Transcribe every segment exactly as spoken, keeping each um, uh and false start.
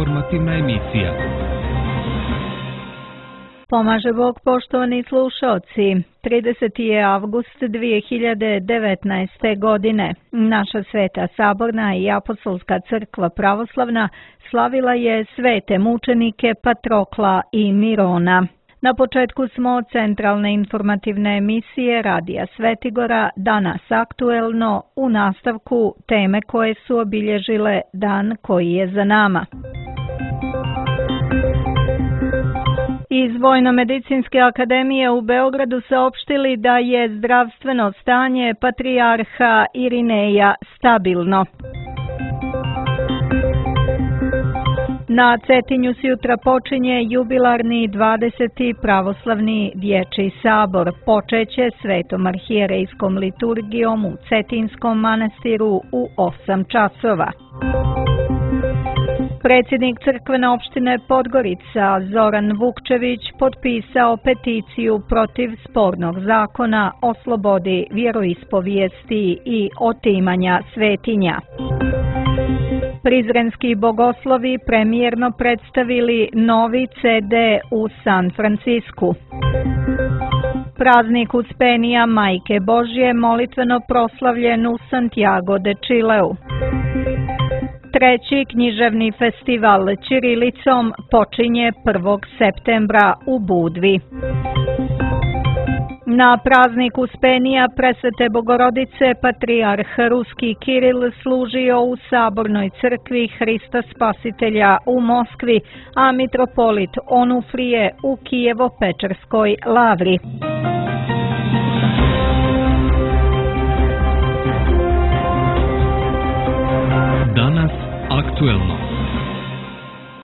informativna emisija. Pomaže Bog, poštovani slušalci. trideseti je avgust dvije hiljade devetnaeste. godine. Naša Sveta Saborna i Apostolska crkva pravoslavna slavila je svete mučenike Patrokla i Mirona. Na početku smo centralne informativne emisije Radija Svetigora, danas aktuelno, u nastavku teme koje su obilježile dan koji je za nama. Iz Vojno-medicinske akademije u Beogradu saopštili da je zdravstveno stanje patrijarha Irineja stabilno. Na Cetinju sjutra počinje jubilarni dvadeseti pravoslavni dječji sabor. Počeće svetom arhijerejskom liturgijom u Cetinskom manastiru u osam časova. Predsjednik crkvene opštine Podgorica Zoran Vukčević potpisao peticiju protiv spornog zakona o slobodi vjeroispovijesti i otimanja svetinja. Prizrenski bogoslovi premijerno predstavili novi ce de u San Francisku. Praznik Uspenija Majke Božje molitveno proslavljen u Santiago de Chileu. Treći književni festival ćirilicom počinje prvog septembra u Budvi. Na praznik Uspenija Presvete Bogorodice patrijarh ruski Kiril služio u Sabornoj crkvi Hrista Spasitelja u Moskvi, a mitropolit Onufrije u Kijevo-Pečerskoj lavri. Danas aktuelno.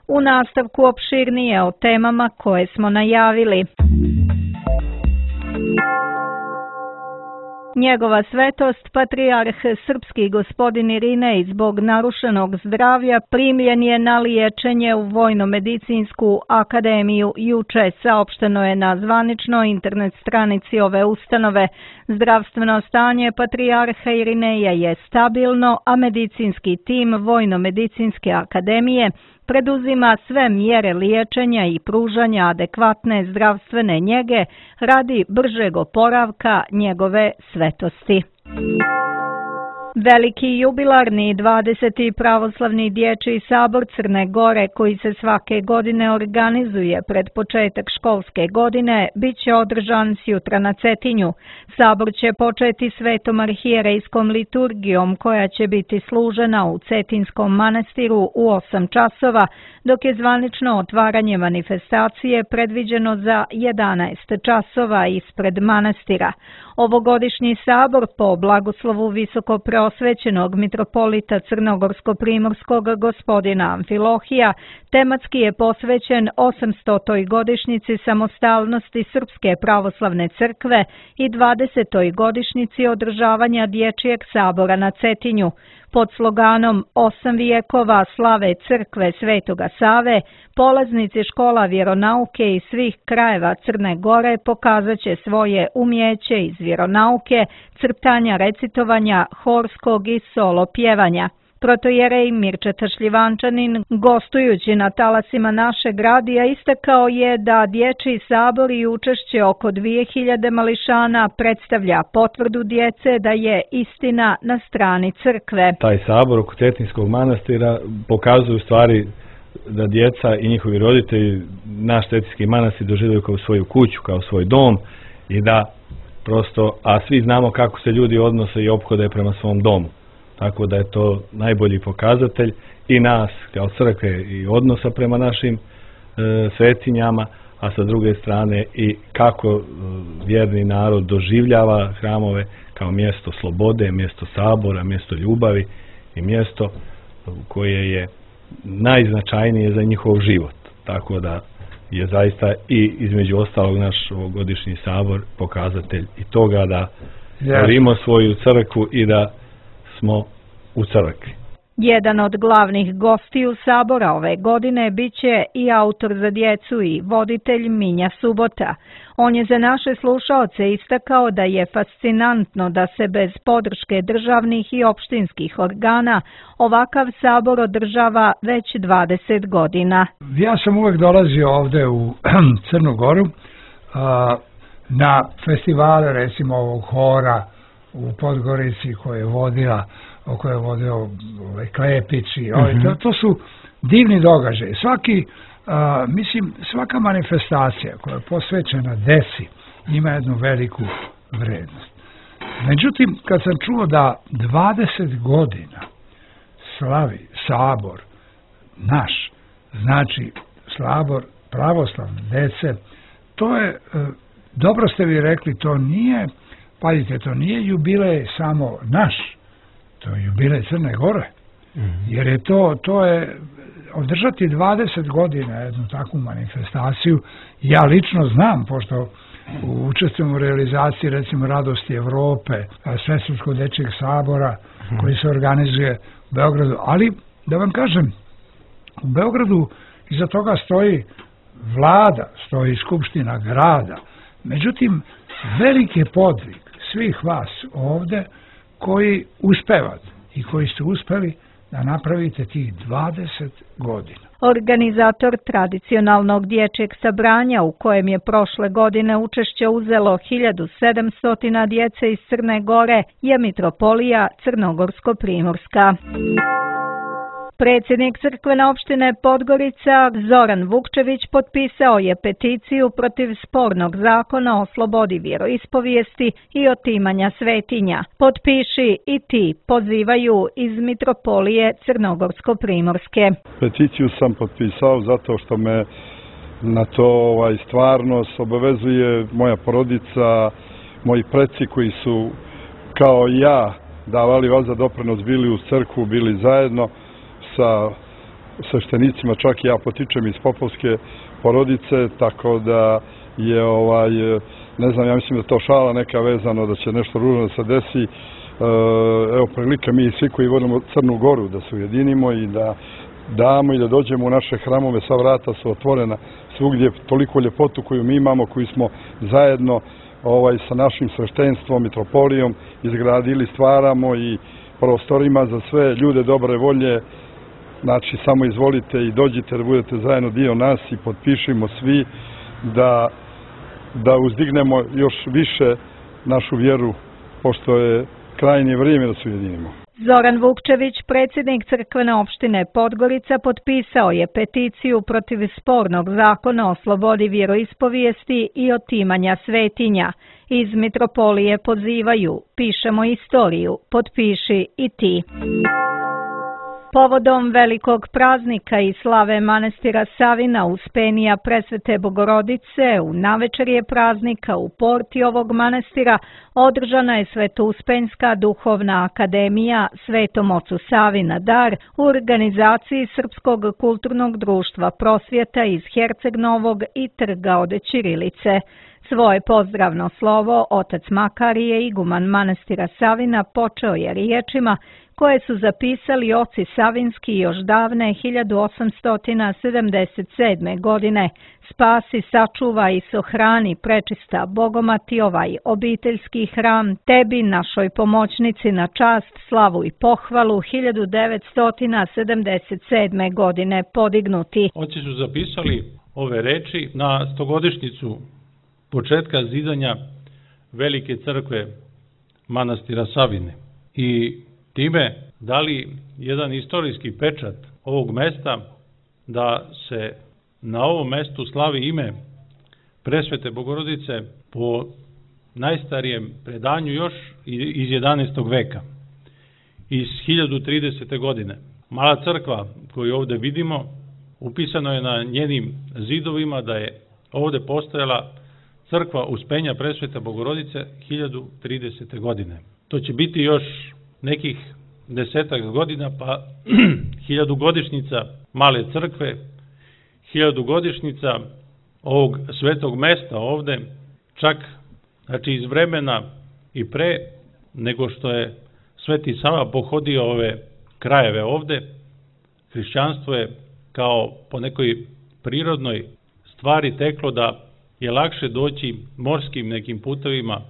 U nastavku opširnije o temama koje smo najavili. Njegova svetost, patrijarh srpski gospodin Irinej, zbog narušenog zdravlja primljen je na liječenje u Vojno-medicinsku akademiju. Juče saopšteno je na zvaničnoj internet stranici ove ustanove. Zdravstveno stanje patrijarha Irineja je stabilno, a medicinski tim Vojno-medicinske akademije preduzima sve mjere liječenja i pružanja adekvatne zdravstvene njege radi bržeg oporavka njegove svetosti. Veliki jubilarni dvadeseti pravoslavni dječji sabor Crne Gore, koji se svake godine organizuje pred početak školske godine, bit će održan sjutra na Cetinju. Sabor će početi svetom arhijerejskom liturgijom, koja će biti služena u Cetinskom manastiru u osam časova, dok je zvanično otvaranje manifestacije predviđeno za jedanaest časova ispred manastira. Ovogodišnji sabor po blagoslovu visoko preosvećenog mitropolita Crnogorsko-primorskog gospodina Amfilohija tematski je posvećen osamstotoj godišnjici samostalnosti Srpske pravoslavne crkve i dvadesetoj godišnjici održavanja dječjeg sabora na Cetinju. Pod sloganom Osam vijekova slave crkve Svetoga Save, polaznici škola vjeronauke iz svih krajeva Crne Gore pokazat će svoje umjeće iz vjeronauke, crtanja, recitovanja, horskog i solo pjevanja. Protojerej Mirčeta Šljivančanin, gostujući na talasima našeg radija, istakao je da dječji sabor i učešće oko dvije hiljade mališana predstavlja potvrdu djece da je istina na strani crkve. Taj sabor oko Cetinskog manastira pokazuje u stvari da djeca i njihovi roditelji naš Cetinski manastir doživljaju kao svoju kuću, kao svoj dom i da prosto, a svi znamo kako se ljudi odnose i ophode prema svom domu. Tako da je to najbolji pokazatelj i nas kao crkve i odnosa prema našim e, svetinjama, a sa druge strane i kako e, vjerni narod doživljava hramove kao mjesto slobode, mjesto sabora, mjesto ljubavi i mjesto koje je najznačajnije za njihov život. Tako da je zaista i između ostalog naš ovogodišnji sabor pokazatelj i toga da volimo svoju crkvu i da smo u crkvi. Jedan od glavnih gostiju Sabora ove godine biće i autor za djecu i voditelj Minja Subota. On je za naše slušaoce istakao da je fascinantno da se bez podrške državnih i opštinskih organa ovakav Sabor održava već dvadeset godina. Ja sam uvek dolazio ovde u Crnu Goru na festivale, recimo ovog hora u Podgorici koje je vodila koje je vodio ovaj Klepić i ovaj, to, to su divni događaji. Svaki, a, mislim, svaka manifestacija koja je posvećena deci ima jednu veliku vrednost. Međutim, kad sam čuo da dvadeset godina slavi Sabor naš, znači Sabor pravoslavne dece, to je, dobro ste vi rekli, to nije, pazite, to nije jubilej samo naš, to je jubilej Crne Gore, jer je to, to je održati dvadeset godina jednu takvu manifestaciju. Ja lično znam, pošto učestvujem u realizaciji recimo Radosti Evrope, Svesrpskog dečijeg sabora koji se organizuje u Beogradu, ali da vam kažem, u Beogradu iza toga stoji vlada, stoji skupština grada. Međutim, veliki podvig svih vas ovde koji uspevate i koji ste uspeli da napravite tih dvadeset godina. Organizator tradicionalnog dječjeg sabranja u kojem je prošle godine učešće uzelo hiljadu sedamsto djece iz Crne Gore je Mitropolija Crnogorsko-Primorska. Predsjednik crkvene opštine Podgorica Zoran Vukčević potpisao je peticiju protiv spornog zakona o slobodi vjeroispovijesti i otimanja svetinja. Potpiši i ti, pozivaju iz Mitropolije Crnogorsko-Primorske. Peticiju sam potpisao zato što me na to ovaj, stvarnost obavezuje moja porodica, moji preci koji su kao ja davali vas za doprinos, bili u crkvu, bili zajedno sa sveštenicima, čak i ja potičem iz popovske porodice, tako da je ovaj, ne znam, ja mislim da to šala neka vezano, da će nešto ružno da se desi. Evo prilika mi svi koji volimo Crnu Goru da se ujedinimo i da damo i da dođemo u naše hramove, sva vrata su otvorena svugdje, toliko ljepotu koju mi imamo, koju smo zajedno ovaj, sa našim sveštenstvom, mitropolijom izgradili, stvaramo i prostorima za sve ljude dobre volje. Znači, samo izvolite i dođite da budete zajedno dio nas i potpišimo svi da, da uzdignemo još više našu vjeru, pošto je krajnje vrijeme da se ujedinimo. Zoran Vukčević, predsjednik crkvene opštine Podgorica, potpisao je peticiju protiv spornog zakona o slobodi vjeroispovijesti i otimanja svetinja. Iz Mitropolije pozivaju, pišemo istoriju, potpiši i ti. Povodom velikog praznika i slave manastira Savina Uspenija Presvete Bogorodice, u navečerje praznika u porti ovog manastira održana je Svetouspenjska duhovna akademija Svetom ocu Savi na dar u organizaciji Srpskog kulturnog društva Prosvjeta iz Herceg Novog i Trga od Ćirilice. Svoje pozdravno slovo otac Makarije, iguman manastira Savina, počeo je riječima koje su zapisali oci Savinski još davne hiljadu osamsto sedamdeset sedme. godine. Spasi, sačuvaj i sohrani prečista Bogomati ovaj obiteljski hram, tebi našoj pomoćnici na čast, slavu i pohvalu hiljadu devetsto sedamdeset sedme. godine podignuti. Oci su zapisali ove reči na stogodišnjicu početka zidanja velike crkve manastira Savine i time dali jedan istorijski pečat ovog mesta da se na ovom mestu slavi ime Presvete Bogorodice po najstarijem predanju još iz jedanaestog veka, iz hiljadu tridesete. godine. Mala crkva koju ovde vidimo, upisano je na njenim zidovima da je ovde postojala crkva Uspenja Presvete Bogorodice hiljadu tridesete. godine. To će biti još nekih desetak godina, pa hiljadu godišnjica male crkve, hiljadu godišnjica ovog svetog mesta ovde, čak znači iz vremena i pre nego što je Sveti Sava pohodio ove krajeve ovde, hrišćanstvo je kao po nekoj prirodnoj stvari teklo da je lakše doći morskim nekim putevima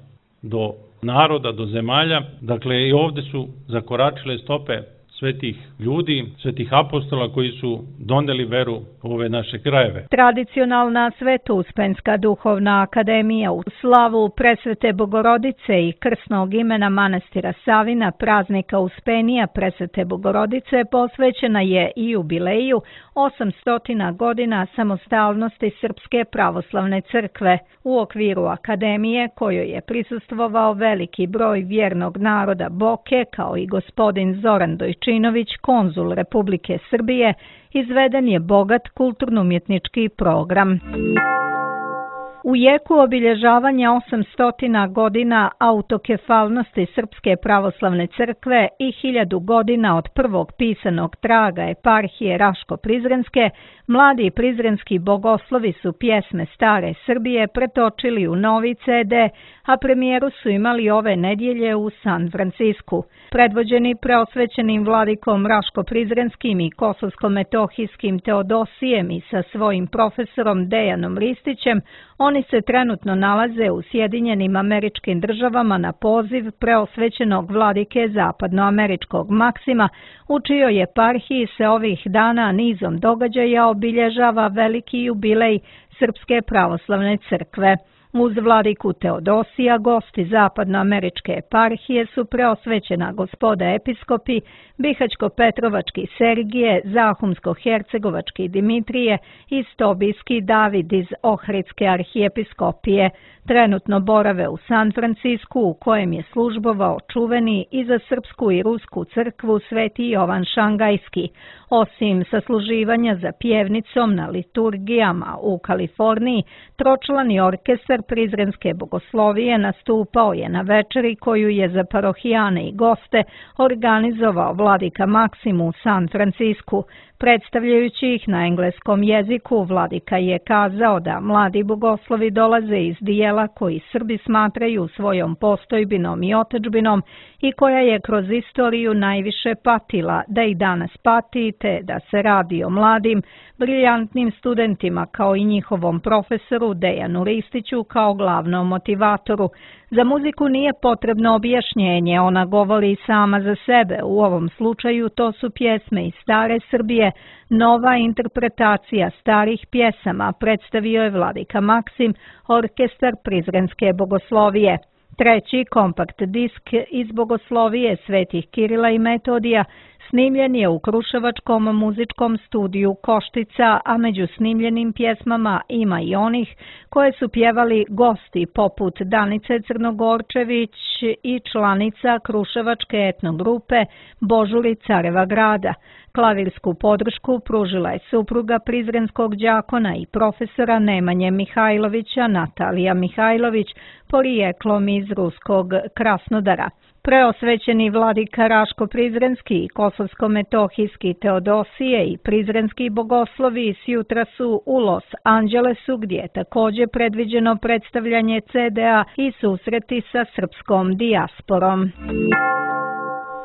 do naroda, do zemalja. Dakle, i ovde su zakoračile stope svetih ljudi, svetih apostola koji su doneli veru u ove naše krajeve. Tradicionalna Sveto-Uspenska duhovna akademija u slavu Presvete Bogorodice i krsnog imena manastira Savina, praznika Uspenija Presvete Bogorodice, posvećena je i jubileju osamsto godina samostalnosti Srpske pravoslavne crkve. U okviru akademije, kojoj je prisustvovao veliki broj vjernog naroda Boke, kao i gospodin Zoran Dojčinović, konzul Republike Srbije, izveden je bogat kulturno-umjetnički program. U jeku obilježavanja osamsto godina autokefalnosti Srpske pravoslavne crkve i hiljadu godina od prvog pisanog traga eparhije Raško-Prizrenske, mladi prizrenski bogoslovi su pjesme Stare Srbije pretočili u novi ce de, a premijeru su imali ove nedjelje u San Francisku. Predvođeni preosvećenim vladikom Raško-Prizrenskim i Kosovsko-Metohijskim Teodosijem i sa svojim profesorom Dejanom Ristićem, oni se trenutno nalaze u Sjedinjenim Američkim Državama na poziv preosvećenog vladike zapadnoameričkog Maksima, u čijoj eparhiji se ovih dana nizom događaja obilježava veliki jubilej Srpske pravoslavne crkve. Uz vladiku Teodosija, gosti zapadnoameričke eparhije su preosvećena gospoda episkopi Bihaćko-Petrovački Sergije, Zahumsko-Hercegovački Dimitrije i Stobijski David iz Ohridske arhijepiskopije. Trenutno borave u San Francisku, u kojem je službovao čuveni i za srpsku i rusku crkvu Sveti Jovan Šangajski. Osim sasluživanja za pjevnicom na liturgijama u Kaliforniji, tročlani orkestar Prizrenske bogoslovije nastupao je na večeri koju je za parohijane i goste organizovao vladika Maksim u San Francisku. Predstavljajući ih na engleskom jeziku, vladika je kazao da mladi bogoslovi dolaze iz dijela koji Srbi smatraju svojom postojbinom i otadžbinom i koja je kroz istoriju najviše patila, da i danas pati, te da se radi o mladim, briljantnim studentima kao i njihovom profesoru Dejanu Ristiću kao glavnom motivatoru. Za muziku nije potrebno objašnjenje, ona govori sama za sebe. U ovom slučaju to su pjesme iz Stare Srbije, nova interpretacija starih pjesama, predstavio je vladika Maksim, orkestar Prizrenske bogoslovije. Treći kompakt disk iz bogoslovije svetih Kirila i Metodija snimljen je u Kruševačkom muzičkom studiju Koštica, a među snimljenim pjesmama ima i onih koje su pjevali gosti poput Danice Crnogorčević i članica Kruševačke etnogrupe Božuri Careva grada. Klavirsku podršku pružila je supruga prizrenskog đakona i profesora Nemanje Mihajlovića, Natalija Mihajlović, porijeklom iz ruskog Krasnodara. Preosvećeni vladika Raško-Prizrenski i Kosovsko-Metohijski Teodosije i prizrenski bogoslovi s jutra su u Los Angelesu, gdje je također predviđeno predstavljanje ce de a i susreti sa srpskom dijasporom.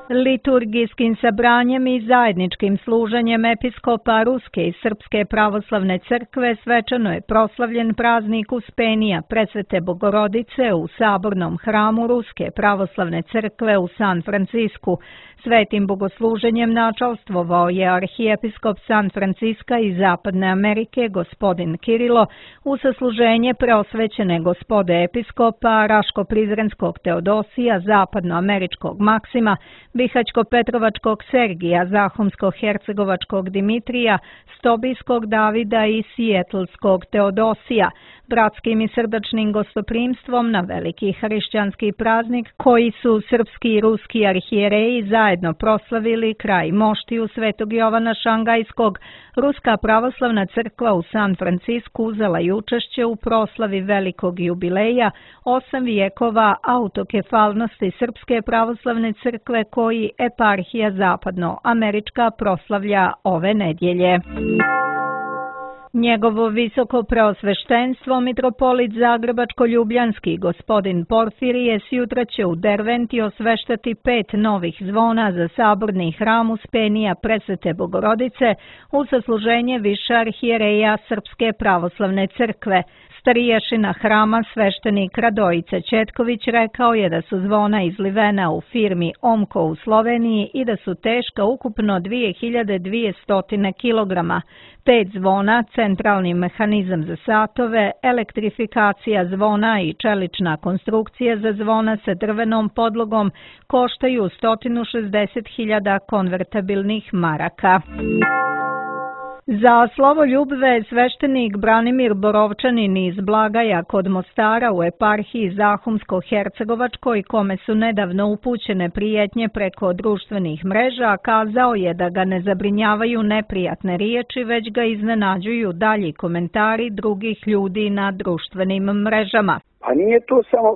Liturgijskim sabranjem i zajedničkim služenjem episkopa Ruske i Srpske pravoslavne crkve svečano je proslavljen praznik Uspenija Presvete Bogorodice u sabornom hramu Ruske pravoslavne crkve u San Francisku. Svetim bogosluženjem načalstvovao je arhijepiskop San Franciska i Zapadne Amerike gospodin Kirilo u sasluženje preosvećene gospode episkopa Raško-Prizrenskog Teodosija, Zapadnoameričkog Maksima, Bihaćko-Petrovačkog Sergija, Zahumsko-Hercegovačkog Dimitrija, Stobijskog Davida i Sijetlskog Teodosija, bratskim i srdačnim gostoprimstvom na veliki hrišćanski praznik koji su srpski i ruski arhijereji zajedno proslavili kraj moštiju Svetog Jovana Šangajskog. Ruska pravoslavna crkva u San Francisku uzela je učešće u proslavi velikog jubileja osam vijekova autokefalnosti Srpske pravoslavne crkve koji eparhija zapadnoamerička proslavlja ove nedjelje. Njegovo visoko preosveštenstvo, mitropolit Zagrebačko-Ljubljanski gospodin Porfirije sjutra će u Derventi osveštati pet novih zvona za saborni hram Uspenija Presvete Bogorodice u sasluženje više arhijereja Srpske pravoslavne crkve. Stariješina hrama sveštenik Radojica Četković rekao je da su zvona izlivena u firmi Omko u Sloveniji i da su teška ukupno dvije hiljade dvjesto kilograma. Pet zvona, centralni mehanizam za satove, elektrifikacija zvona i čelična konstrukcija za zvona sa drvenom podlogom koštaju sto šezdeset hiljada konvertabilnih maraka. Za slovoljubve sveštenik Branimir Borovčanin iz Blagaja kod Mostara u eparhiji Zahumsko-Hercegovačkoj, kome su nedavno upućene prijetnje preko društvenih mreža, kazao je da ga ne zabrinjavaju neprijatne riječi, već ga iznenađuju dalji komentari drugih ljudi na društvenim mrežama. A nije to samo,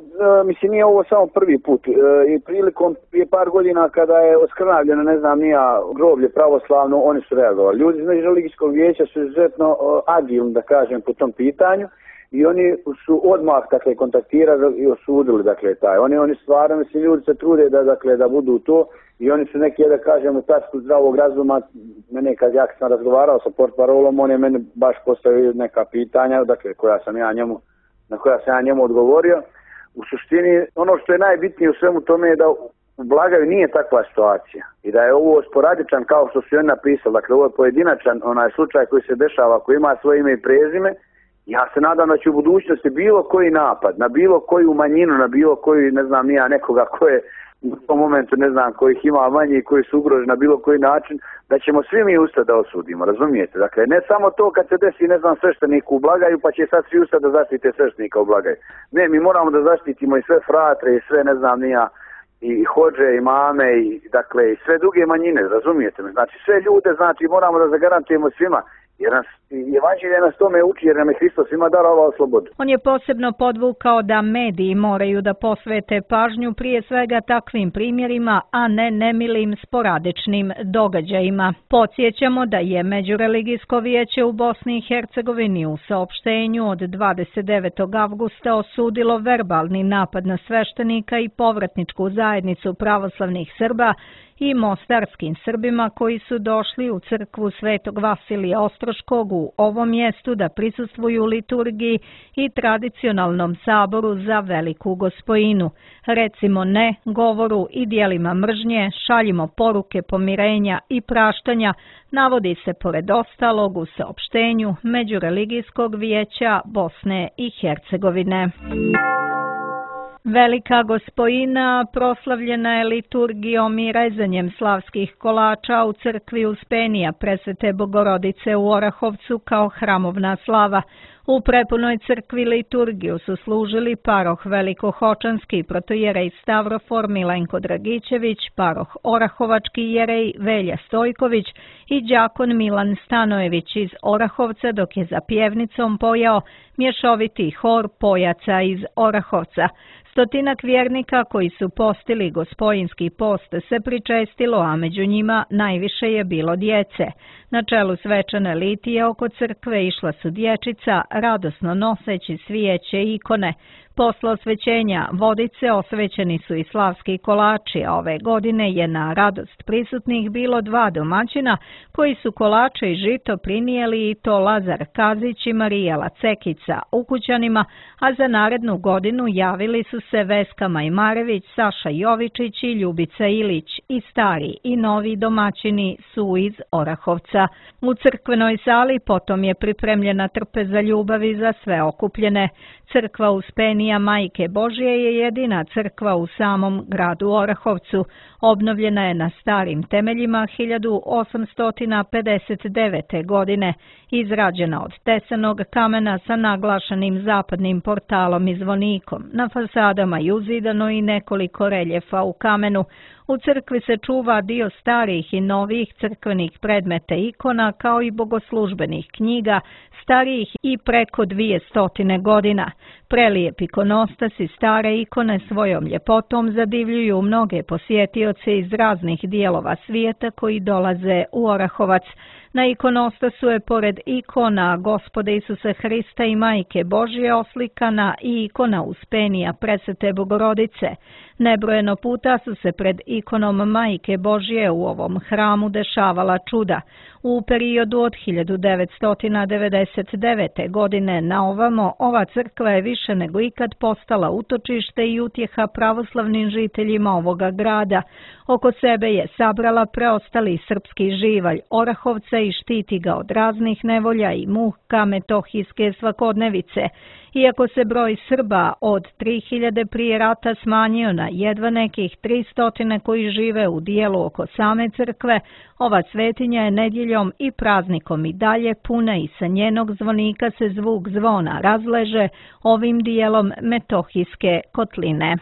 mislim, nije ovo samo prvi put. I prilikom prije par godina kada je oskrnavljeno, ne znam, nija groblje pravoslavno, oni su reagovali. Ljudi iz Međureligijskog vijeća su izuzetno agilni, da kažem, po tom pitanju i oni su odmah, dakle, kontaktirali i osudili, dakle, taj. Oni, oni stvarno, mislim, ljudi se trude da, dakle, da budu to i oni su neki, da kažem, u tačku zdravog razuma. Mene, kad ja sam razgovarao sa portparolom, on je meni baš postavio neka pitanja, dakle, koja sam ja njemu na koja sam ja njemu odgovorio. U suštini, ono što je najbitnije u svemu tome je da u Blagaju nije takva situacija i da je ovo sporadičan, kao što su oni napisali, dakle ovo je pojedinačan onaj slučaj koji se dešava, koji ima svoje ime i prezime. Ja se nadam da će u budućnosti bilo koji napad, na bilo koju manjinu, na bilo koji, ne znam, nija nekoga koje u tom momentu, ne znam, kojih ima manje i koji su ugroženi na bilo koji način, da ćemo svi mi ustati da osudimo, razumijete? Dakle, ne samo to kad se desi, ne znam, sveštenik u Blagaju, pa će sad svi ustati da zaštite sveštenika u Blagaju. Ne, mi moramo da zaštitimo i sve fratre i sve, ne znam, nija, i hođe, i mame, i, dakle, i sve druge manjine, razumijete me? Znači, sve ljude, znači, moramo da zagarantujemo svima. Jer nas, evanđelje nas tome uči, jer nam je Hristos svima darovao slobodu. On je posebno podvukao da mediji moraju da posvete pažnju prije svega takvim primjerima, a ne nemilim sporadičnim događajima. Podsjećamo da je Međureligijsko vijeće u Bosni i Hercegovini u saopštenju od dvadeset devetog avgusta osudilo verbalni napad na sveštenika i povratničku zajednicu pravoslavnih Srba i mostarskim Srbima koji su došli u crkvu Svetog Vasilija Ostroškog u ovom mjestu da prisustvuju liturgiji i tradicionalnom saboru za Veliku Gospojinu. Recimo ne govoru i dijelima mržnje, šaljimo poruke pomirenja i praštanja, navodi se pored ostalog u saopštenju Međureligijskog vijeća Bosne i Hercegovine. Velika Gospojina proslavljena je liturgijom i rezanjem slavskih kolača u crkvi Uspenija Presvete Bogorodice u Orahovcu kao hramovna slava. U prepunoj crkvi liturgiju su služili paroh Velikohočanski protojerej Stavrofor Milenko Dragićević, paroh Orahovački jerej Velja Stojković i đakon Milan Stanojević iz Orahovca, dok je za pjevnicom pojao mješoviti hor pojaca iz Orahovca. Stotinak vjernika koji su postili Gospojinski post se pričestilo, a među njima najviše je bilo djece. Na čelu svečane litije oko crkve išla su dječica, radosno noseći svijeće i ikone. Posle osvećenja vodice osvećeni su i slavski kolači, a ove godine je na radost prisutnih bilo dva domaćina koji su kolače i žito prinijeli, i to Lazar Kazić i Marijela Cekica ukućanima, a za narednu godinu javili su se Veska Majmarević, Saša Jovičić i Ljubica Ilić, i stari i novi domaćini su iz Orahovca. U crkvenoj sali potom je pripremljena trpeza ljubavi za sve okupljene. Crkva Uspenija Majke Božje je jedina crkva u samom gradu Orahovcu. Obnovljena je na starim temeljima hiljadu osamsto pedeset devete. godine. Izrađena od tesanog kamena sa naglašenim zapadnim portalom i zvonikom. Na fasadama je uzidano i nekoliko reljefa u kamenu. U crkvi se čuva dio starih i novih crkvenih predmeta ikona, kao i bogoslužbenih knjiga, starijih i preko dvije stotine godina. Prelijep ikonostas i stare ikone svojom ljepotom zadivljuju mnoge posjetioce iz raznih dijelova svijeta koji dolaze u Orahovac. Na ikonostasu je pored ikona Gospoda Isusa Hrista i Majke Božje oslikana i ikona Uspenija Presvete Bogorodice. Nebrojeno puta su se pred ikonom Majke Božje u ovom hramu dešavala čuda. U periodu od hiljadu devetsto devedeset devete. godine na ovamo, ova crkva je više nego ikad postala utočište i utjeha pravoslavnim žiteljima ovoga grada. Oko sebe je sabrala preostali srpski živalj Orahovca i štiti ga od raznih nevolja i muka metohijske svakodnevice. Iako se broj Srba od tri hiljade prije rata smanjio na jedva nekih tristo koji žive u dijelu oko same crkve, ova svetinja je nedjeljom i praznikom i dalje puna i sa njenog zvonika se zvuk zvona razleže ovim dijelom metohijske kotline.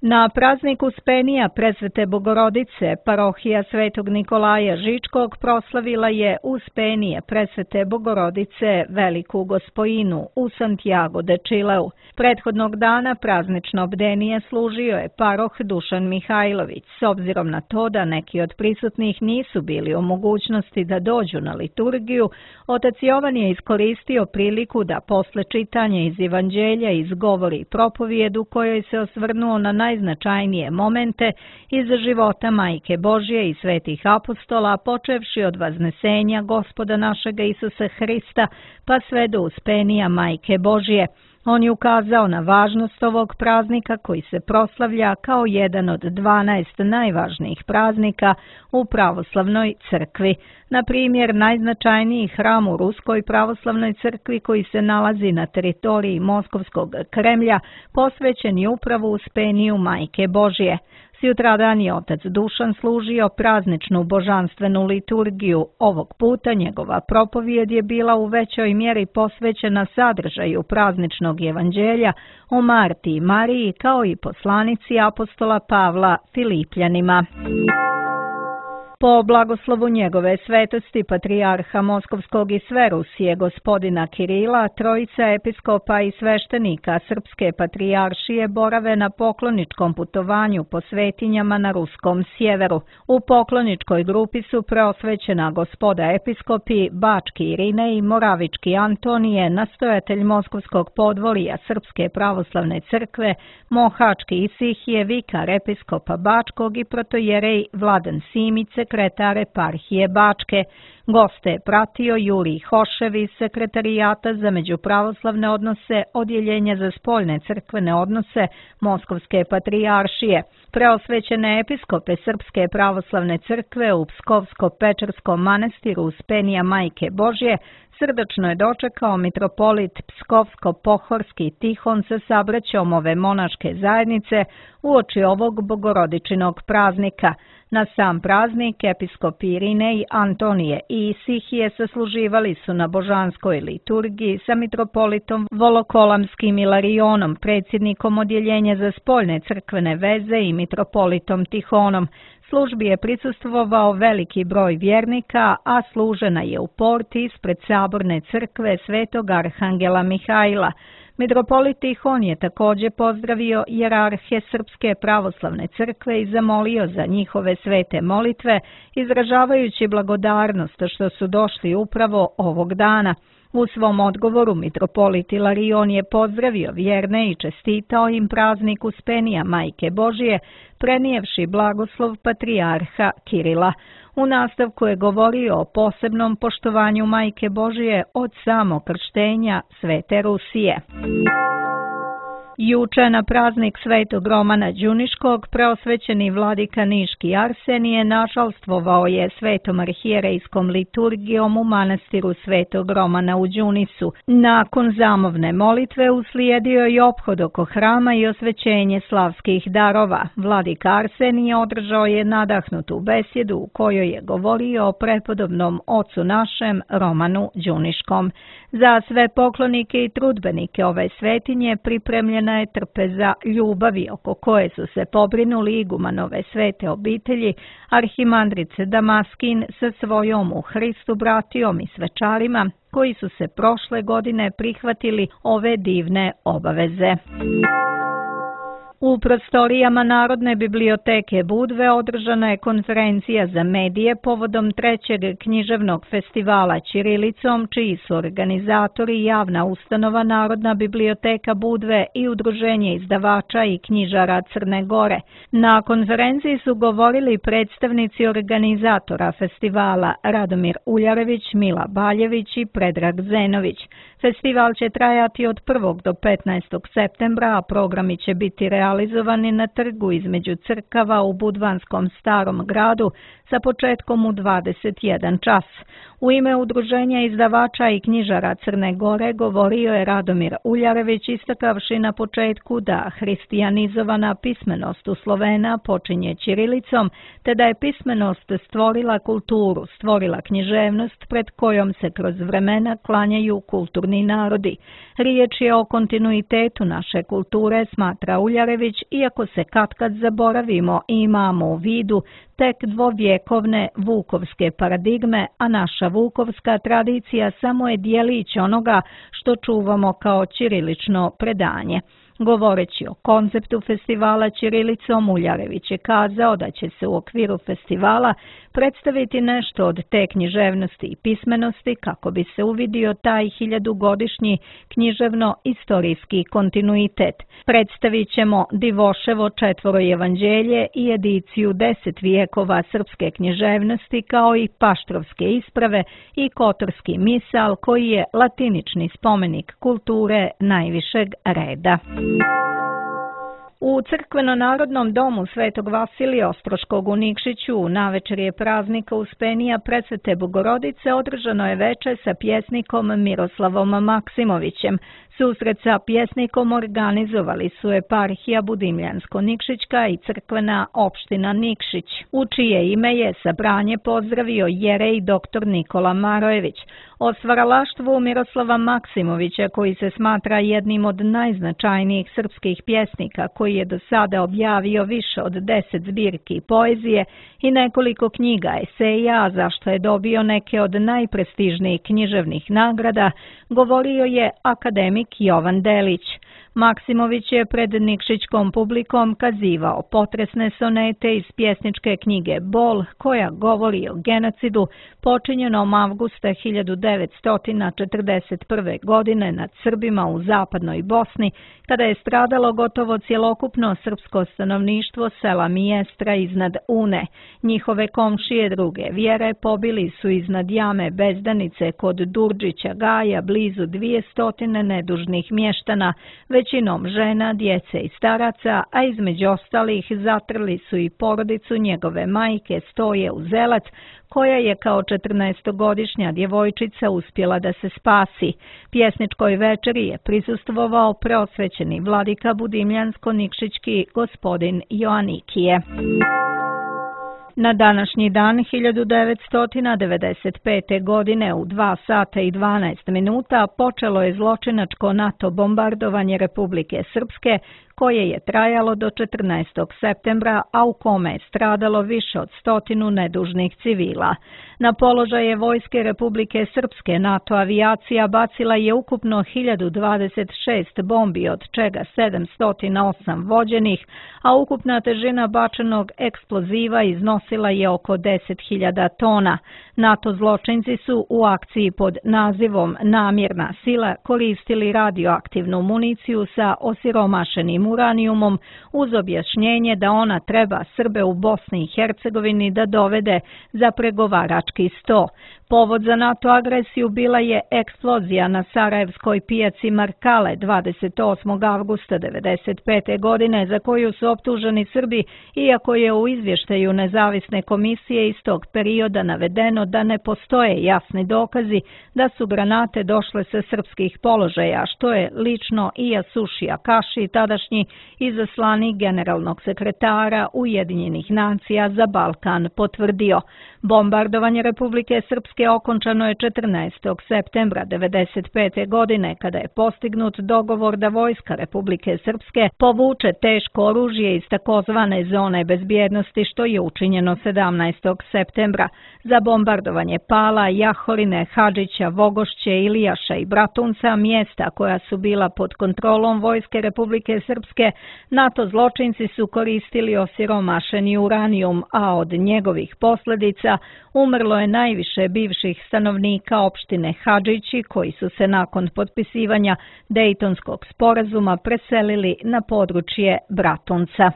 Na praznik Uspenija Presvete Bogorodice parohija Svetog Nikolaja Žičkog proslavila je Uspenije Presvete Bogorodice Veliku Gospojinu u Santiago de Chileu. Prethodnog dana praznično bdenije služio je paroh Dušan Mihajlović. S obzirom na to da neki od prisutnih nisu bili u mogućnosti da dođu na liturgiju, otac Jovan je iskoristio priliku da posle čitanja iz Evanđelja izgovori propovijedu kojoj se osvrnuo na najznačajnije momente iz života Majke Božje i svetih apostola, počevši od vaznesenja Gospoda našega Isusa Hrista pa sve do Uspenija Majke Božje. On je ukazao na važnost ovog praznika koji se proslavlja kao jedan od dvanaest najvažnijih praznika u pravoslavnoj crkvi. Na primjer, najznačajniji hram u Ruskoj pravoslavnoj crkvi koji se nalazi na teritoriji Moskovskog Kremlja posvećen je upravo Uspeniju Majke Božje. Sutradan je otac Dušan služio prazničnu božanstvenu liturgiju. Ovog puta njegova propovijed je bila u većoj mjeri posvećena sadržaju prazničnog evanđelja o Marti i Mariji kao i poslanici apostola Pavla Filipljanima. Po blagoslovu njegove svetosti patrijarha Moskovskog i sve Rusije gospodina Kirila, trojica episkopa i sveštenika Srpske patrijaršije borave na pokloničkom putovanju po svetinjama na ruskom sjeveru. U pokloničkoj grupi su preosvećena gospoda episkopi Bački Irine i Moravički Antonije, nastojatelj Moskovskog podvorija Srpske pravoslavne crkve, Mohački Isihije, vikar episkopa Bačkog i protojerej Vladan Simić, sekretar eparhije Bačke. Goste je pratio Jurij Hošev iz sekretarijata za međupravoslavne odnose Odjeljenja za spoljne crkvene odnose Moskovske patrijaršije. Preosvećene episkope Srpske pravoslavne crkve u Pskovsko-Pečerskom manastiru Uspenija Majke Božje srdačno je dočekao mitropolit Pskovsko-Pohorski Tihon sa sabraćom ove monaške zajednice uoči ovog bogorodičinog praznika. Na sam praznik episkopi Irinej, Antonije i Isihije sasluživali su na božanskoj liturgiji sa mitropolitom Volokolamskim Ilarionom, predsjednikom Odjeljenja za spoljne crkvene veze i mitropolitom Tihonom. Službi je prisustvovao veliki broj vjernika, a služena je u porti ispred saborne crkve Svetog Arhangela Mihajla. Mitropolit Tihon je također pozdravio jerarhe Srpske pravoslavne crkve i zamolio za njihove svete molitve, izražavajući blagodarnost što su došli upravo ovog dana. U svom odgovoru mitropolit Ilarion je pozdravio vjerne i čestitao im praznik Uspenija Majke Božje, prenijevši blagoslov patrijarha Kirila. U nastavku je govorio o posebnom poštovanju Majke Božje od samog krštenja Svete Rusije. Juče na praznik Svetog Romana Đuniškog preosvećeni vladika Niški Arsenije našalstvovao je svetom arhijerejskom liturgijom u manastiru Svetog Romana u Đunisu. Nakon zamovne molitve uslijedio je ophod oko hrama i osvećenje slavskih darova. Vladika Arsenije održao je nadahnutu besjedu u kojoj je govorio o prepodobnom ocu našem Romanu Đuniškom. Za sve poklonike i trudbenike ove svetinje pripremljena je trpeza ljubavi oko koje su se pobrinuli igumanove svete obitelji, arhimandrice Damaskin sa svojom u Hristu bratijom i svečarima koji su se prošle godine prihvatili ove divne obaveze. U prostorijama Narodne biblioteke Budve održana je konferencija za medije povodom trećeg književnog festivala ćirilicom, čiji su organizatori javna ustanova Narodna biblioteka Budve i Udruženje izdavača i knjižara Crne Gore. Na konferenciji su govorili predstavnici organizatora festivala Radomir Uljarević, Mila Baljević i Predrag Zenović. Festival će trajati od prvog do petnaestog septembra, a programi će biti realizovani na trgu između crkava u Budvanskom starom gradu sa početkom u dvadeset jedan čas. U ime Udruženja izdavača i knjižara Crne Gore govorio je Radomir Uljarević, istakavši na početku da hristijanizovana pismenost u Slovena počinje ćirilicom, te da je pismenost stvorila kulturu, stvorila književnost pred kojom se kroz vremena klanjaju kulturni narodi. Riječ je o kontinuitetu naše kulture, smatra Uljarević, iako se katkad zaboravimo i imamo u vidu tek dvovjekovne vukovske paradigme, a naša vukovska tradicija samo je dijelić onoga što čuvamo kao ćirilično predanje. Govoreći o konceptu festivala ćirilicom, Uljarević je kazao da će se u okviru festivala predstaviti nešto od te književnosti i pismenosti kako bi se uvidio taj hiljadugodišnji književno-istorijski kontinuitet. Predstavit ćemo Divoševo četvoro evanđelje i ediciju deset vijekova srpske književnosti kao i paštrovske isprave i kotorski misal koji je latinični spomenik kulture najvišeg reda. U Crkveno-narodnom domu Svetog Vasilija Ostroškog u Nikšiću u navečerje praznika Uspenija Presvete Bogorodice održano je veče sa pjesnikom Miroslavom Maksimovićem. Susret sa pjesnikom organizovali su eparhija Budimljansko-Nikšićka i crkvena opština Nikšić, u čije ime je sabranje pozdravio jerej doktor Nikola Marojević. O stvaralaštvu Miroslava Maksimovića, koji se smatra jednim od najznačajnijih srpskih pjesnika, koji je do sada objavio više od deset zbirki poezije i nekoliko knjiga eseja, a zašto je dobio neke od najprestižnijih književnih nagrada, govorio je akademik Jovan Delić. Maksimović je pred nikšićkom publikom kazivao potresne sonete iz pjesničke knjige Bol, koja govori o genocidu počinjenom avgusta hiljadu devetsto četrdeset prve. godine nad Srbima u zapadnoj Bosni, kada je stradalo gotovo cjelokupno srpsko stanovništvo sela Mijestra iznad Une. Njihove komšije druge vjere pobili su iznad jame Bezdanice kod Durđića Gaja blizu dvije stotine nedužnih mještana, većinom žena, djece i staraca, a između ostalih zatrli su i porodicu njegove majke Stoje Uzelac, koja je kao četrnaestogodišnja djevojčica uspjela da se spasi. Pjesničkoj večeri je prisustvovao preosvećeni vladika Budimljansko-Nikšićki gospodin Joanikije. Na današnji dan hiljadu devetsto devedeset pete. godine u dva sata i dvanaest minuta počelo je zločinačko NATO bombardovanje Republike Srpske, koje je trajalo do četrnaestog septembra, a u kome je stradalo više od stotinu nedužnih civila. Na položaje vojske Republike Srpske NATO avijacija bacila je ukupno hiljadu dvadeset šest bombi, od čega sedamsto osam vođenih, a ukupna težina bačenog eksploziva iznosila je oko deset hiljada tona. NATO zločinci su u akciji pod nazivom Namjerna sila koristili radioaktivnu municiju sa osiromašenim uranijumom uz objašnjenje da ona treba Srbe u Bosni i Hercegovini da dovede za pregovarački sto. Povod za NATO agresiju bila je eksplozija na Sarajevskoj pijaci Markale dvadeset osmog avgusta devedeset pete. godine za koju su optuženi Srbi, iako je u izvještaju nezavisne komisije iz tog perioda navedeno da ne postoje jasni dokazi da su granate došle sa srpskih položaja, što je lično Iyasushi Akashi, tadašnji izaslanik generalnog sekretara Ujedinjenih nacija za Balkan, potvrdio. Bombardovanje Republike Srpske Srpske okončano je četrnaestog septembra devedeset pete. godine kada je postignut dogovor da vojska Republike Srpske povuče teško oružje iz takozvane zone bezbjednosti, što je učinjeno sedamnaestog septembra. Za bombardovanje Pala, Jahorine, Hadžića, Vogošće, Ilijaša i Bratunca, mjesta koja su bila pod kontrolom vojske Republike Srpske, NATO zločinci su koristili osiromašeni uranijum, a od njegovih posljedica umrlo je najviše bivših stanovnika opštine Hadžići, koji su se nakon potpisivanja Dejtonskog sporazuma preselili na područje Bratunca.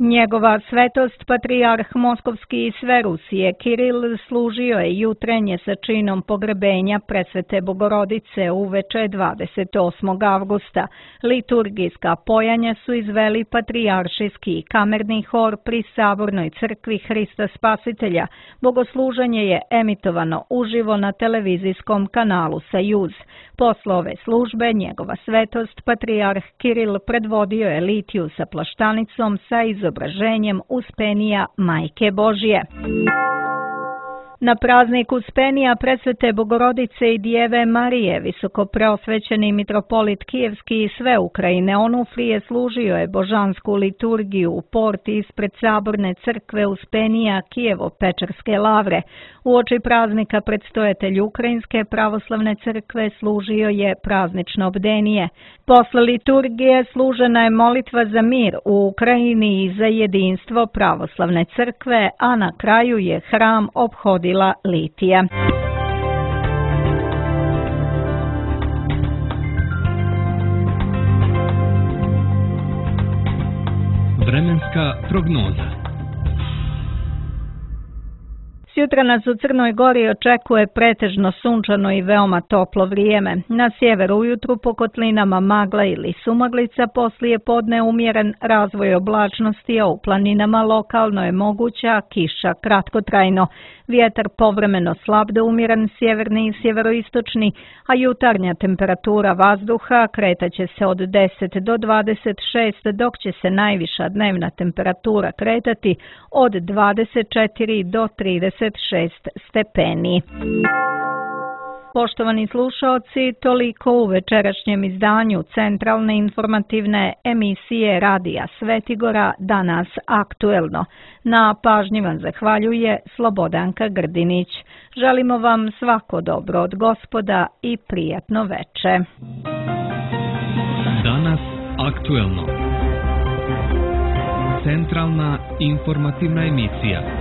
Njegova svetost, patrijarh Moskovski i sve Rusije Kiril, služio je jutrenje sa činom pogrebenja presvete Bogorodice uveče dvadeset osmog avgusta. Liturgijska pojanja su izveli patrijaršijski i kamerni hor pri Sabornoj crkvi Hrista Spasitelja. Bogosluženje je emitovano uživo na televizijskom kanalu Sajuz. Posle ove službe njegova svetost, patrijarh Kiril, predvodio je litiju sa plaštanicom sa izobraženjem Uspenija Majke Božje. Na praznik Uspenija presvete Bogorodice i Djeve Marije, visokopreosvećeni mitropolit Kijevski i sve Ukrajine Onufrije služio je božansku liturgiju u porti ispred Saborne crkve Uspenija Kijevo-Pečerske lavre. Uoči praznika predstojatelj Ukrajinske pravoslavne crkve služio je praznično bdenije. Posle liturgije služena je molitva za mir u Ukrajini i za jedinstvo pravoslavne crkve, a na kraju je hram ophodila litija. Vremenska prognoza. Sutra nas u Crnoj Gori očekuje pretežno sunčano i veoma toplo vrijeme. Na sjeveru ujutru po kotlinama magla ili sumaglica, poslije podne umjeren razvoj oblačnosti, a u planinama lokalno je moguća kiša kratkotrajno. Vjetar povremeno slab do umjeren sjeverni i sjeveroistočni, a jutarnja temperatura vazduha kretaće se od deset do dvadeset šest, dok će se najviša dnevna temperatura kretati od dvadeset četiri do trideset šest stepeni. Poštovani slušaoci, toliko u večerašnjem izdanju centralne informativne emisije Radija Svetigora, Danas aktuelno. Na pažnji vam zahvaljuje Slobodanka Grdinić. Želimo vam svako dobro od Gospoda i prijatno veče. Danas aktuelno. Centralna informativna emisija.